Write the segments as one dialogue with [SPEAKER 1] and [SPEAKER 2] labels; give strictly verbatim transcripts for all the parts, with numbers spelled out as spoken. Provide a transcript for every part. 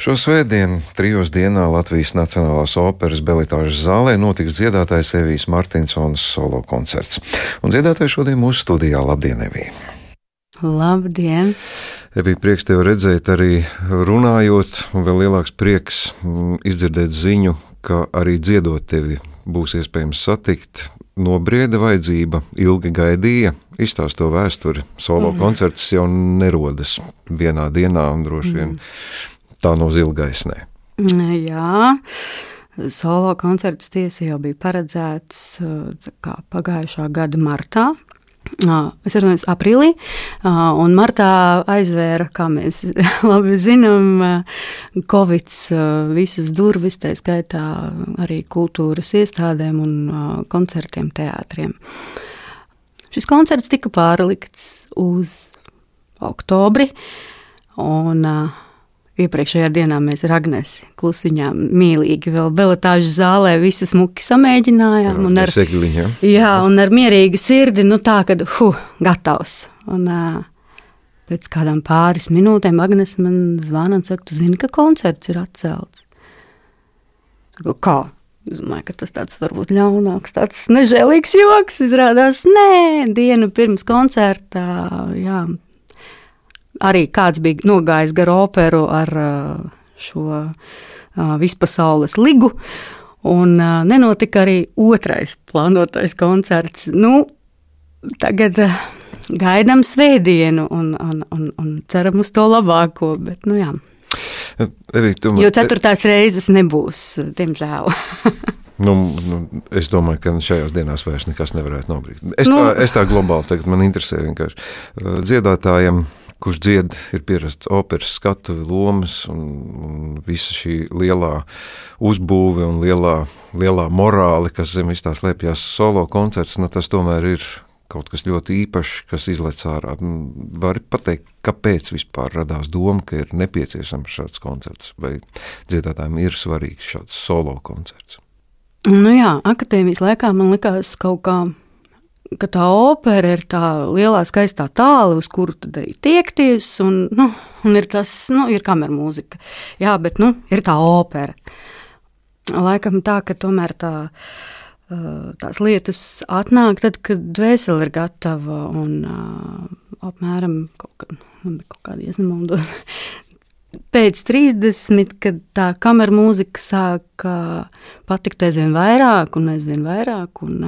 [SPEAKER 1] Šo svētdienu trijos dienā Latvijas Nacionālās operas Belitāžas zālē notiks dziedātājs Evijs Martinsons solo koncerts. Un dziedātājs šodien mūsu studijā. Labdien, Evija!
[SPEAKER 2] Labdien!
[SPEAKER 1] Evija, prieks tevi redzēt arī runājot, un vēl lielāks prieks izdzirdēt ziņu, ka arī dziedot tevi būs iespējams satikt. Nobrieda vajadzība, ilgi gaidīja, izstāst to vēsturi. Solo mm. koncerts jau nerodas vienā dienā un droši vien mm. tā no zilgaisnē.
[SPEAKER 2] Jā, solo koncerts tiesa jau bija paredzēts kā pagājušā gada martā. Es runāju aprīlī, un martā aizvēra, kā mēs labi zinām, Covids visas durvis, tā skaitā arī kultūras iestādēm un koncertiem, teātriem. Šis koncerts tika pārlikts uz oktobri, un iepriekšējā dienā mēs ar Agnesi klusiņām mīlīgi vēl Belitāžas zālē visu smuki samēģinājām.
[SPEAKER 1] Jā,
[SPEAKER 2] un ar,
[SPEAKER 1] segļiņa, ja?
[SPEAKER 2] jā, un ar mierīgu sirdi, nu tā, kad, hu, gatavs. Un uh, pēc kādām pāris minūtēm Agnes man zvana un saka, tu zini, ka koncerts ir atcelts? Saku, kā? Es domāju, ka tas tāds varbūt ļaunāks, tāds nežēlīgs joks. Izrādās, nē, dienu pirms koncerta, jā, arī kāds bija nogājis gar operu ar šo vispasaules ligu, un nenotika arī otrais plānotais koncerts. Nu, tagad gaidām svētdienu un, un, un, un ceram uz to labāko, bet, nu jā.
[SPEAKER 1] Arī, tomēr,
[SPEAKER 2] jo ceturtās reizes nebūs, diemžēl.
[SPEAKER 1] Nu, nu, es domāju, ka šajās dienās vairs nekas nevarētu nobrīkt. Es, nu, tā, es tā globāli tagad man interesē vienkārši dziedātājiem, kurš dzied, ir pierasts operas skatuvi, lomas un, un visa šī lielā uzbūve un lielā, lielā morāli, kas zem vis tā slēpjās solo koncerts, nu tas tomēr ir kaut kas ļoti īpašs, kas izlec ārā. Vari pateikt, kāpēc vispār radās doma, ka ir nepieciešams šāds koncerts, vai dziedātājiem ir svarīgs šāds solo koncerts?
[SPEAKER 2] Nu jā, akadēmijas laikā man likās kaut kā, ka tā opera ir tā lielā skaistā tāle, uz kuru tad arī tiekties, un, nu, un ir tas, nu, ir kamermūzika. Jā, bet, nu, ir tā opera. Laikam tā, ka tomēr tā, tās lietas atnāk tad, kad dvēsele ir gatava, un apmēram kaut, kā, kaut kādi ieznamaldos. Pēc trīsdesmit, kad tā kamermūzika sāka patikt aizvien vairāk un aizvien vairāk, un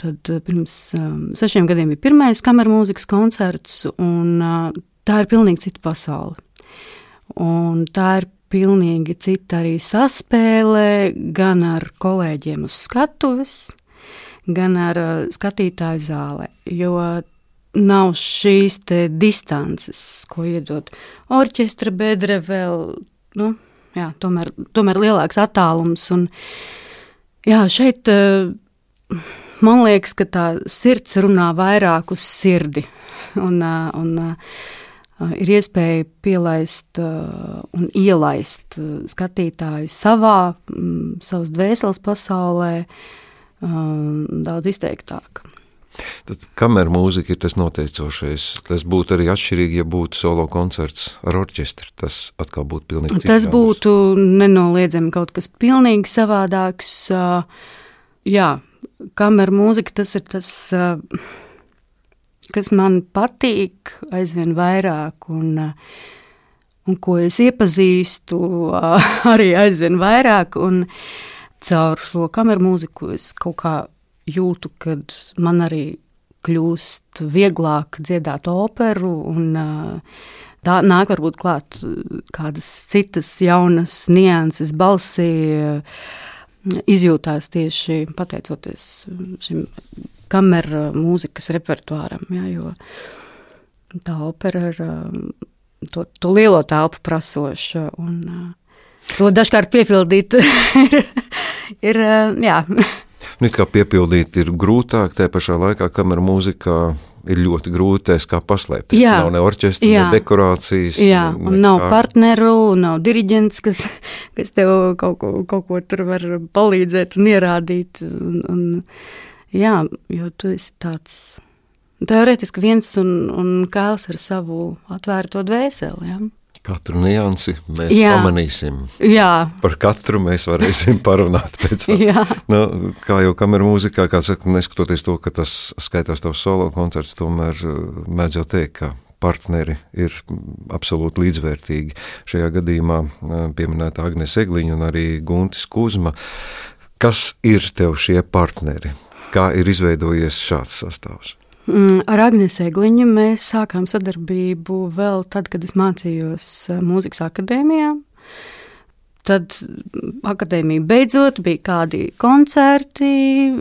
[SPEAKER 2] tad pirms um, sešiem gadiem bija pirmais kamermūzikas koncerts, un uh, tā ir pilnīgi cita pasaule. Un tā ir pilnīgi cita arī saspēle gan ar kolēģiem uz skatuves, gan ar uh, skatītāju zālē, jo nav šīs te distances, ko iedod orķestra bedre vēl, nu, jā, tomēr, tomēr lielāks attālums, un jā, šeit uh, man liekas, ka tā sirds runā vairāk uz sirdi, un, un uh, ir iespēja pielaist uh, un ielaist uh, skatītāju savā, um, savas dvēseles pasaulē um, daudz izteiktāk.
[SPEAKER 1] Tad kamermūzika ir tas noteicošais. Tas būtu arī atšķirīgi, ja būtu solo koncerts ar orķestri. Tas atkal būtu pilnīgi cits.
[SPEAKER 2] Tas būtu nenoliedzami kaut kas pilnīgi savādāks. Uh, jā, kamermūzika, tas ir tas, kas man patīk aizvien vairāk, un, un ko es iepazīstu arī aizvien vairāk, un caur šo kamermūziku es kaut kā jūtu, kad man arī kļūst vieglāk dziedāt operu, un tā nāk varbūt klāt kādas citas jaunas nianses balsī, izjūtās tieši pateicoties šim kamera mūzikas repertuāram, ja, jo tā opera ir to, to lielo telpu prasoša, un to dažkārt piepildīt ir, ir jā.
[SPEAKER 1] Nu, kā piepildīt ir grūtāk, tajā pašā laikā kamera mūzikā ir ļoti grūtais, kā paslēpt.
[SPEAKER 2] Jā,
[SPEAKER 1] nav ne orķestra,
[SPEAKER 2] jā,
[SPEAKER 1] ne dekorācijas.
[SPEAKER 2] Jā,
[SPEAKER 1] ne,
[SPEAKER 2] un nav partneru, nav diriģents, kas, kas tev kaut ko, kaut ko tur var palīdzēt un ierādīt. Un, un, jā, jo tu esi tāds teorētiski viens un, un kāls ar savu atvērto dvēseli. Jā.
[SPEAKER 1] Katru niansi mēs
[SPEAKER 2] Jā.
[SPEAKER 1] pamanīsim.
[SPEAKER 2] Jā.
[SPEAKER 1] Par katru mēs varēsim parunāt pēc tam.
[SPEAKER 2] Jā.
[SPEAKER 1] Nu, kā jau kameru mūzikā, kā saka, neskatoties to, ka tas skaitās tavs solo koncerts, tomēr mēdz jau teikt, ka partneri ir absolūti līdzvērtīgi. Šajā gadījumā pieminēta Agnese Egliņa un arī Guntis Kuzma. Kas ir tev šie partneri? Kā ir izveidojies šāds sastāvs?
[SPEAKER 2] Ar Agnesi Egliņu mēs sākām sadarbību vēl tad, kad es mācījos mūzikas akadēmijā. Tad akadēmija beidzot bija kādi koncerti,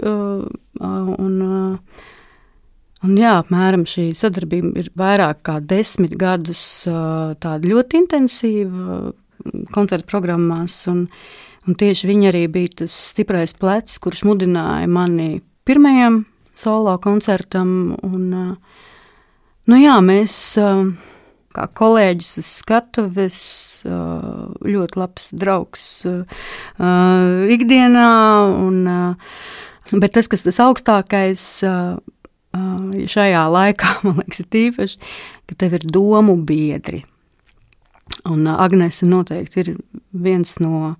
[SPEAKER 2] un, un jā, apmēram šī sadarbība ir vairāk kā desmit gadus tāda ļoti intensīva koncertu programmās, un, un tieši viņa arī bija tas stiprais plecs, kurš mudināja mani pirmajam solo koncertam, un, nu jā, mēs kā kolēģis uz skatuves, ļoti labs draugs ikdienā, un, bet tas, kas tas augstākais šajā laikā, man liekas, ir tīpaši, ka tev ir domu biedri, un Agnese noteikti ir viens no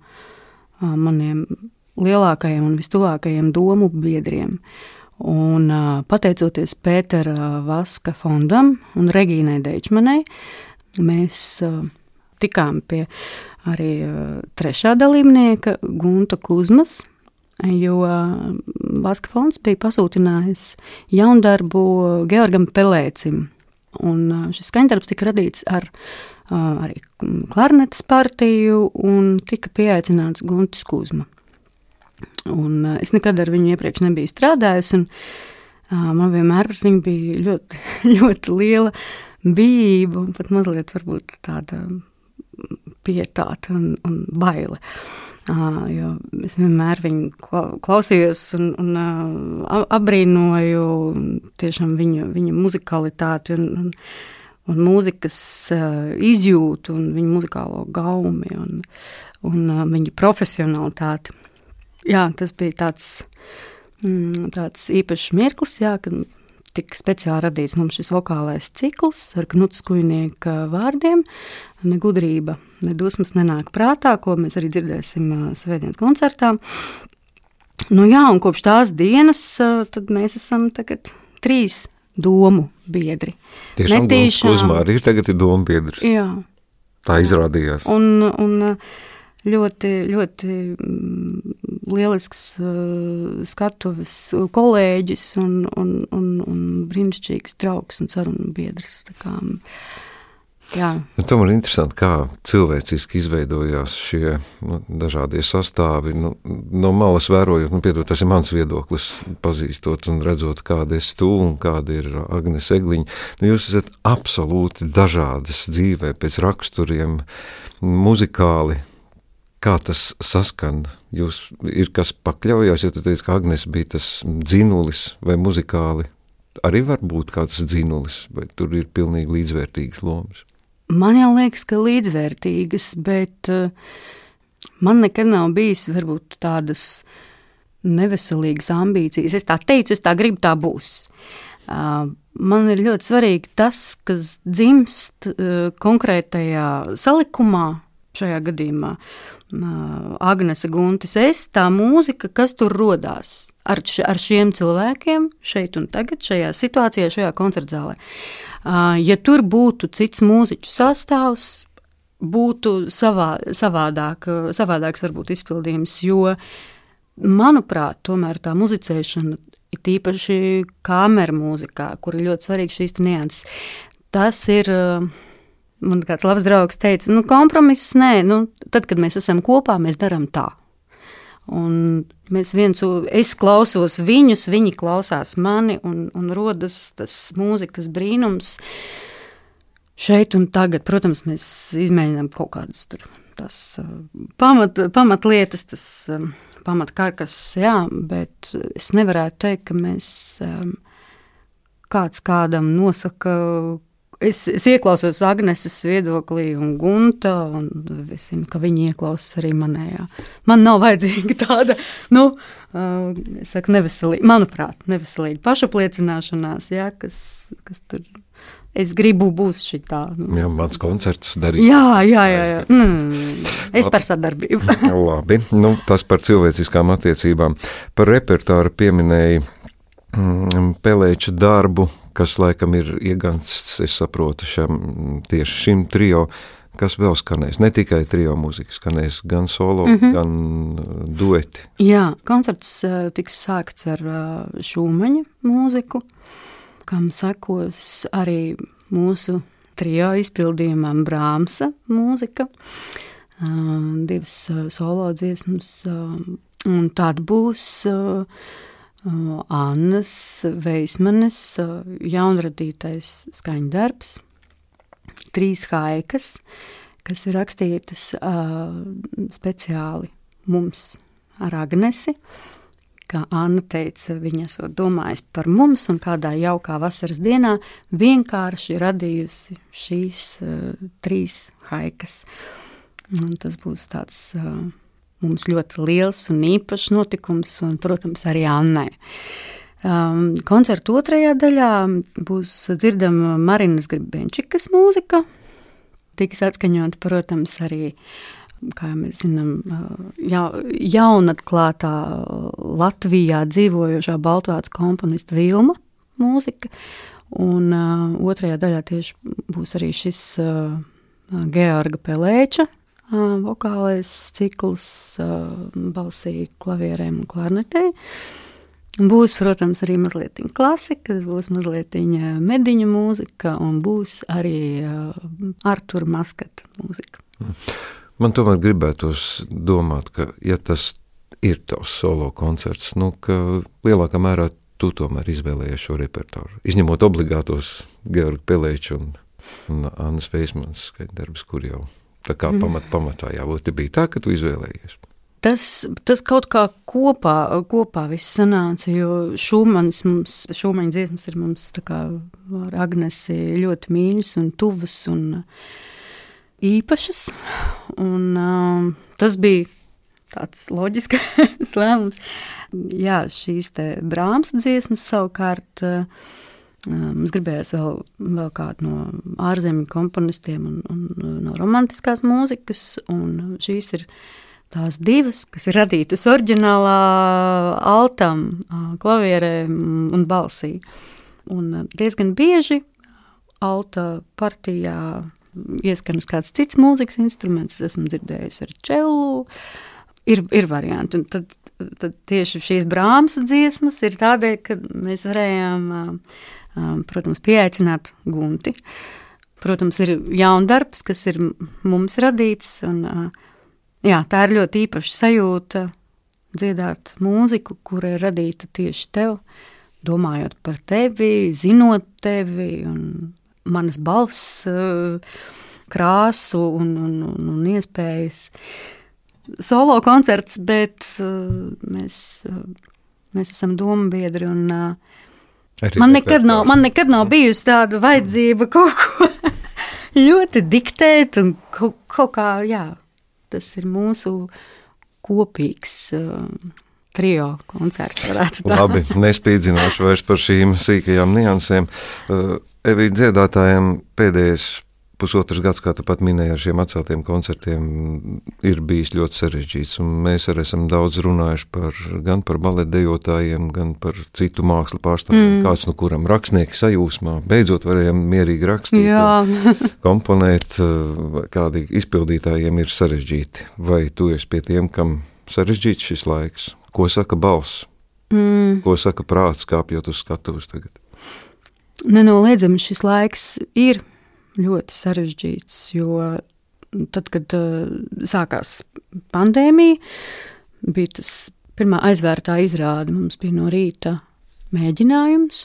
[SPEAKER 2] maniem lielākajiem un vistuvākajiem domu biedriem. Un, pateicoties Pētera Vaska fondam un Regīnai Deičmanai, mēs tikām pie arī trešā dalībnieka Gunta Kuzmas, jo Vaska fonds bija pasūtinājis jaundarbu Georgam Pelēcim. Un šis skaņdarbs tika radīts ar arī klarnetes partiju un tika pieaicināts Guntis Kuzma. Un es nekad ar viņu iepriekš nebiju strādājusi, un uh, man vienmēr ar viņu bija ļoti, ļoti liela bijība un pat mazliet varbūt tāda pietāta un, un baile. Uh, jo es vienmēr viņu klausījos un, un uh, abrīnoju tiešām viņa, viņa muzikalitāti un, un, un mūzikas uh, izjūtu un viņa muzikālo gaumi un, un uh, viņa profesionalitāti. Jā, tas bija tāds, mm, tāds īpašs mirklis, jā, kad tika speciāli radīts mums šis vokālais cikls ar Knuta Skujnieka vārdiem. Ne gudrība, ne dusmas nenāk prātā, ko mēs arī dzirdēsim svētdienas koncertā. Nu jā, un kopš tās dienas tad mēs esam tagad trīs domu biedri.
[SPEAKER 1] Tiešām Guntis Kuzma arī tagad ir domu biedrs.
[SPEAKER 2] Jā.
[SPEAKER 1] Tā izrādījās.
[SPEAKER 2] Un, un ļoti, ļoti lielisks uh, skatuves kolēģis un, un, un, un brīnišķīgs draugs un sarunu biedrs. Tā kā, jā.
[SPEAKER 1] Nu, tomēr ir interesanti, kā cilvēciski izveidojās šie nu, dažādie sastāvi. Nu, no malas vērojot, nu, piedod, tas ir mans viedoklis, pazīstot un redzot, kāda ir tu un kāda ir Agnese Egliņa. Nu, jūs esat absolūti dažādas dzīvē pēc raksturiem, muzikāli. Kā tas saskan? Jūs ir kas pakļaujās, ja tu teici, ka Agnese bija tas dzinulis vai muzikāli? Arī var būt kāds dzinulis, vai tur ir pilnīgi līdzvērtīgas lomas?
[SPEAKER 2] Man jau liekas, ka līdzvērtīgas, bet uh, man nekad nav bijis varbūt tādas neveselīgas ambīcijas. Es tā teicu, es tā gribu, tā būs. Uh, man ir ļoti svarīgi tas, kas dzimst uh, konkrētajā salikumā, šajā gadījumā Agnese, Guntis, es, tā mūzika, kas tur rodās ar, ar šiem cilvēkiem šeit un tagad, šajā situācijā, šajā koncertzālē. Ja tur būtu cits mūziķu sastāvs, būtu savā, savādāk, savādāks varbūt izpildījums, jo, manuprāt, tomēr tā muzicēšana ir tīpaši kameru mūzikā, kur ir ļoti svarīgi šīs nianses. Tas ir... Man kāds labs draugs teica, nu kompromiss nē, nu tad, kad mēs esam kopā, mēs darām tā. Un mēs viens, es klausos viņus, viņi klausās mani un, un rodas tas mūzikas brīnums šeit un tagad. Protams, mēs izmēģinām kaut kādas tur tas pamat, pamatlietas, tas pamatkarkas, jā, bet es nevarētu teikt, ka mēs kāds kādam nosaka. Es, es ieklausos Agneses viedoklī un Gunta, un es zinu, ka viņi ieklausās arī manējā. Man nav vajadzīga tāda, nu, uh, es saku, neveselīga, manuprāt, neveselīga pašapliecināšanās, jā, kas, kas tur es gribu būs šitā.
[SPEAKER 1] Jā, mans koncerts darīt.
[SPEAKER 2] Jā, jā, jā. jā. Mm, es par sadarbību.
[SPEAKER 1] Labi, nu, tas par cilvēciskām attiecībām. Par repertāru pieminēja mm, Pelēča darbu, kas laikam ir iegansts, es saprotu, šam, tieši šim trio. Kas vēl skanēs? Ne tikai trio mūzika skanēs, gan solo, mm-hmm. gan dueti.
[SPEAKER 2] Jā, koncerts uh, tiks sākts ar uh, Šūmaņa mūziku, kam sekos arī mūsu trio izpildījumam Brāmsa mūzika, uh, divas uh, solo dziesmas, uh, un tāda būs uh, uh, Annas Veismanes uh, jaunradītais skaņdarbs, trīs haikas, kas ir rakstītas uh, speciāli mums ar Agnesi, kā Anna teica, viņa esot domājis par mums un kādā jaukā vasaras dienā vienkārši radījusi šīs uh, trīs haikas. Un tas būs tāds uh, mums ļoti liels un īpašs notikums un, protams, arī Annai. Um, koncerta otrajā daļā būs dzirdama Marinas Gribenčikas mūzika. Tiks atskaņota, protams, arī, kā mēs zinām, ja, jaunatklātā Latvijā dzīvojošā baltvācu komponista Vilma mūzika. Un uh, otrajā daļā tieši būs arī šis uh, Georga Pelēča uh, vokālais cikls uh, balsī, klavierēm un klarnetei. Būs, protams, arī mazliet klasika, būs mazliet mediņu mūzika un būs arī uh, Artura Maskata mūzika.
[SPEAKER 1] Man tomēr gribētos domāt, ka, ja tas ir tavs solo koncerts, nu, ka lielākā mērā tu tomēr izvēlējies šo repertāru. Izņemot obligātos Georga Pelēča un, un Annas Veismanas skaņdarbus, kur jau tā kā pamat, pamatā jābūt. Bija tā, ka tu izvēlējies.
[SPEAKER 2] Tas, tas kaut kā kopā, kopā viss sanāca, jo Šūmanis mums, Šūmaņa dziesmas ir mums tā kā ar Agnesi ļoti mīļas un tuvas un īpašas. Un um, tas bija tāds loģiskais lēmums. Jā, šīs te Brāmsa dziesmas savukārt uh, mums gribējās vēl, vēl kādu no ārzemju komponistiem un, un no romantiskās mūzikas, un šīs ir tās divas, kas ir radītas oriģinālā altam, klavierē un balsī. Un diezgan bieži alta partijā ieskanas kāds cits mūzikas instruments, es esmu dzirdējusi ar čellu, ir, ir varianti. Un tad, tad tieši šīs Brāmsa dziesmas ir tādēļ, ka mēs varējām, protams, pieaicināt Gunti. Protams, ir jaundarbs, kas ir mums radīts, un jā, tā ir ļoti īpaša sajūta dziedāt mūziku, kura ir radīta tieši tev, domājot par tevi, zinot tevi un manas balss krāsu un, un, un, un iespējas. Solo koncerts, bet mēs, mēs esam dombiedri un man nekad, nav, man nekad nav bijusi tāda vajadzība kaut ko ļoti diktēt un kaut, kaut kā, jā. Tas ir mūsu kopīgs uh, trio koncerts, varētu tā.
[SPEAKER 1] Labi, nespīdzināšu vairs par šīm sīkajām niansēm. Uh, Evī dziedātājiem pēdējais pusotrs gads, kā tu pat minēji, ar šiem atceltiem koncertiem ir bijis ļoti sarežģīts, un mēs arī esam daudz runājuši par, gan par baletdejotājiem, gan par citu mākslu pārstāvjiem, mm. kāds no kuram rakstnieki sajūsmā, beidzot varējām mierīgi rakstīt, komponēt, kādi izpildītājiem ir sarežģīti. Vai tu esi pie tiem, kam sarežģīts šis laiks? Ko saka balss? Mm. Ko saka prāts, kāpjot uz skatuves tagad?
[SPEAKER 2] Nenoliedzami šis laiks ir ļoti sarežģīts, jo tad, kad uh, sākās pandēmija, bija tas pirmā aizvērtā izrāde, mums bija no rīta mēģinājums,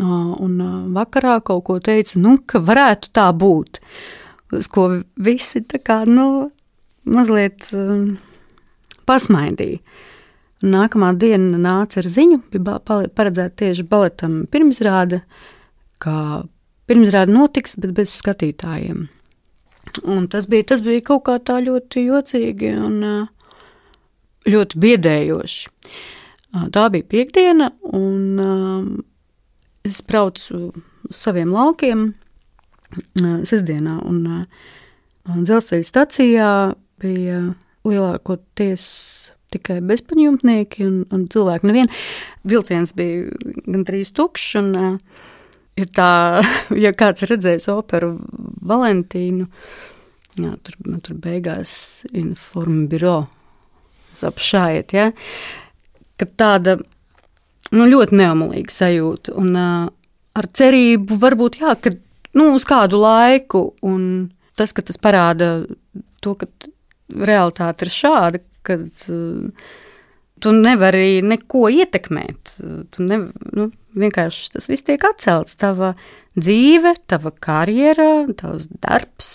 [SPEAKER 2] uh, un uh, vakarā kaut ko teica, nu, ka varētu tā būt, uz ko visi tā kā, nu, mazliet uh, pasmaidīja. Nākamā diena nāca ar ziņu, bija paredzēta tieši baletam pirmizrāde, kā pirmizrāde notiks, bet bez skatītājiem. Un tas bija, tas bija kaut kā tā ļoti jocīgi un ļoti biedējoši. Tā bija piekdiena, un es braucu uz saviem laukiem sestdienā, un, un dzelzceļa stacijā bija lielākoties tikai bezpaņjumtnieki un, un cilvēki nevien. Vilciens bija gandrīz tukšs, un uh, ir tā, ja kāds redzējis operu Valentīnu, jā, tur, tur beigās informbiro apšājiet, ja, ka tāda, nu, ļoti neomulīga sajūta, un uh, ar cerību varbūt, jā, ka, nu, uz kādu laiku, un tas, ka tas parāda to, ka realitāte ir šāda, kad uh, tu nevari neko ietekmēt. Tu ne, nu, vienkārši tas viss tiek atcelts. Tava dzīve, tava karjera, tavs darbs,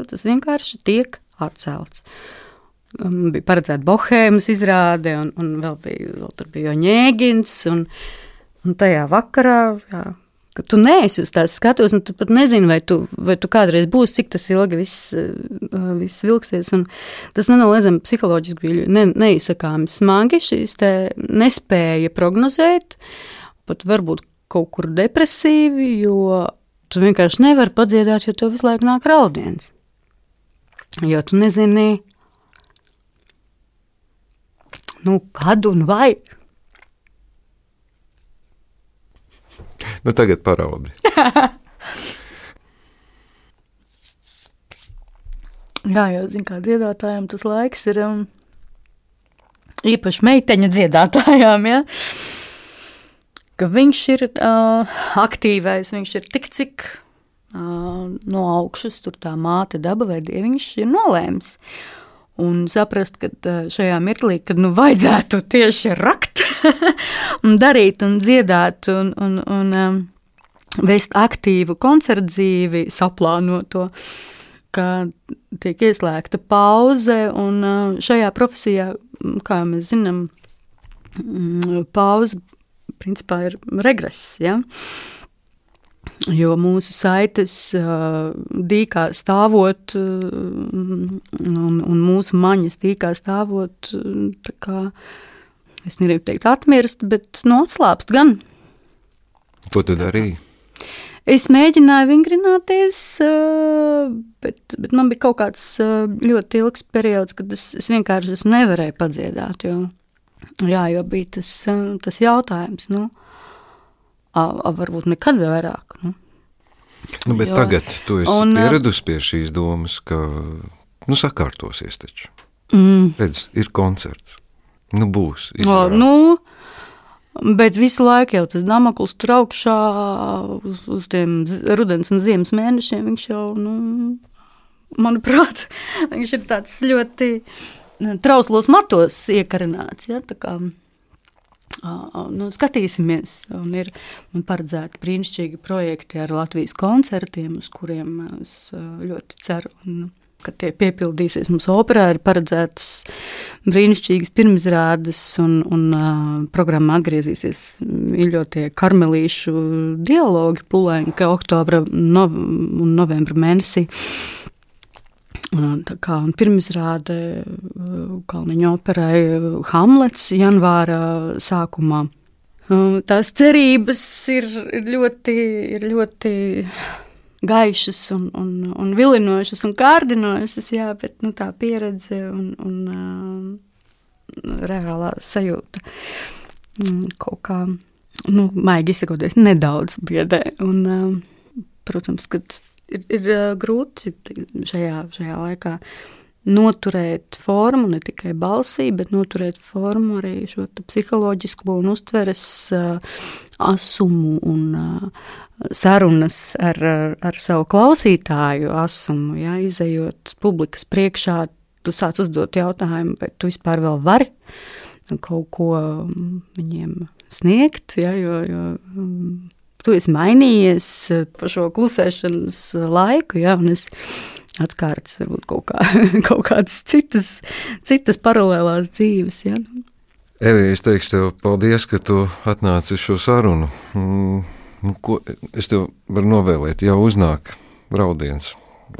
[SPEAKER 2] tas vienkārši tiek atcelts. Um, bija paredzēta Bohēmas izrāde, un, un vēl bija, vēl tur bija Ņēgins, un, un tajā vakarā, jā, ka tu neesi uz tās skatos, un tu pat nezini, vai tu, vai tu kādreiz būs, cik tas ilgi viss, viss vilksies, un tas nenoliedzami psiholoģiski bija ne, neizsakāmi smagi, šīs te nespēja prognozēt, pat varbūt kaut kur depresīvi, jo tu vienkārši nevari padziedāt, jo tev visu laiku nāk raudiens, jo tu nezini, nu, kad un vai.
[SPEAKER 1] Nu, tagad paraudi.
[SPEAKER 3] Jā, jau zinu, kā dziedātājiem tas laiks ir um, īpaši meiteņa dziedātājām, ja? Ka viņš ir uh, aktīvais, viņš ir tik cik uh, no augšas, tur tā māte daba vai dieviņš ir nolēms. Un saprast, ka šajā mirklī, kad nu vajadzētu tieši rakt un darīt un dziedāt un, un, un um, vest aktīvu koncertu dzīvi, saplānoto, ka tiek ieslēgta pauze, un uh, šajā profesijā, kā mēs zinām, pauze principā ir regress, ja? Jo mūsu saites uh, dīkā stāvot uh, un, un mūsu maņas dīkā stāvot, uh, tā kā, es negribu teikt atmirst, bet nu, atslāpst gan.
[SPEAKER 1] Ko tu darīji?
[SPEAKER 2] Es mēģināju vingrināties, uh, bet, bet man bija kaut kāds uh, ļoti ilgs periods, kad es, es vienkārši es nevarēju padziedāt, jo, jā, jo bija tas, uh, tas jautājums, nu, A, a, varbūt nekad vairāk. Nu,
[SPEAKER 1] nu bet jo. Tagad tu esi
[SPEAKER 2] un,
[SPEAKER 1] pieradusi pie šīs domas, ka, nu, sakārtosies taču.
[SPEAKER 2] Mm.
[SPEAKER 1] Redz, ir koncerts. Nu, būs.
[SPEAKER 2] O, nu, bet visu laiku jau tas Damokls tur augšā uz, uz tiem rudens un ziemas mēnešiem, viņš jau, nu, manuprāt, viņš ir tāds ļoti trauslos matos iekarināts, ja, tā kā... Uh, nu, skatīsimies, un ir paredzēti brīnišķīgi projekti ar Latvijas koncertiem, uz kuriem es uh, ļoti ceru, un, ka tie piepildīsies. Mums operā ir paredzētas brīnišķīgas pirmizrādes, un, un uh, programma atgriezīsies mīļotie karmelīšu dialogi Pulenka oktobra no, un novembra mēnesī. Tā kā pirmizrāde Kalniņa operai Hamlets janvāra sākumā. Tās cerības ir ļoti, ir ļoti gaišas un, un, un vilinošas un kārdinošas, jā, bet nu, tā pieredze un, un uh, reālā sajūta kaut kā, nu, maigi izsakoties, nedaudz biedē. Un, uh, protams, kad Ir, ir grūti šajā, šajā laikā noturēt formu, ne tikai balsī, bet noturēt formu arī šo psiholoģisko un uztveres uh, asumu un uh, sarunas ar, ar savu klausītāju asumu, ja, izejot publikas priekšā, tu sāc uzdot jautājumu, vai tu vispār vēl vari kaut ko viņiem sniegt, ja, jo, jo um, tu esi mainījies pa šo klusēšanas laiku, ja, un es atskārtas varbūt kaut, kā, kaut kādas citas, citas paralēlās dzīves. Ja.
[SPEAKER 1] Evi, es teikšu tev paldies, ka tu atnāci uz šo sarunu. Mm, ko, es tev varu novēlēt, jau uznāk raudiens.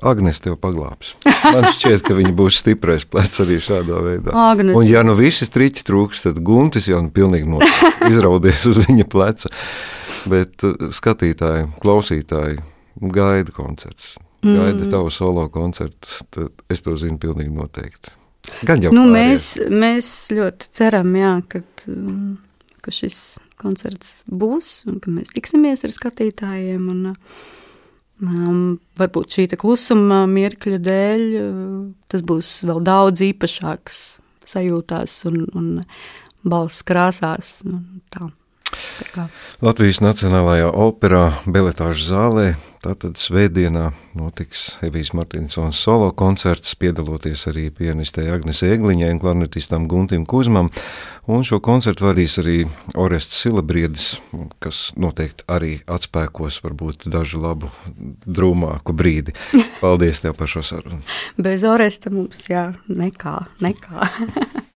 [SPEAKER 1] Agnes tev paglābs. Man šķiet, ka viņa būs stiprais plecs arī šādā veidā.
[SPEAKER 2] Agnes.
[SPEAKER 1] Un ja nu visi striķi trūks, tad Guntis jau nu pilnīgi no izraudies uz viņa pleca. bet skatītāji, klausītāji gaida koncerts. Gaida mm. tavu solo koncertu, tad es to zinu pilnīgi noteikti. Gan jau
[SPEAKER 2] nu, mēs, mēs ļoti ceram, jā, ka, ka šis koncerts būs un ka mēs tiksimies ar skatītājiem un um, varbūt šī klusuma mirkļa dēļ tas būs vēl daudz īpašāks sajūtās un, un balss krāsās un tā. tā kā.
[SPEAKER 1] Latvijas Nacionālajā operā Beletāžu zālē tātad svētdienā notiks Evijas Martinsons solo koncerts, piedaloties arī pianistei Agnesei Egliņai un klarnetistam Guntim Kuzmam, un šo koncertu vadīs arī Orests Silabriedis, kas noteikti arī atspēkos varbūt dažu labu drūmāku brīdi. Paldies tev par šo sarunu.
[SPEAKER 2] Bez Oresta mums, jā, nekā, nekā.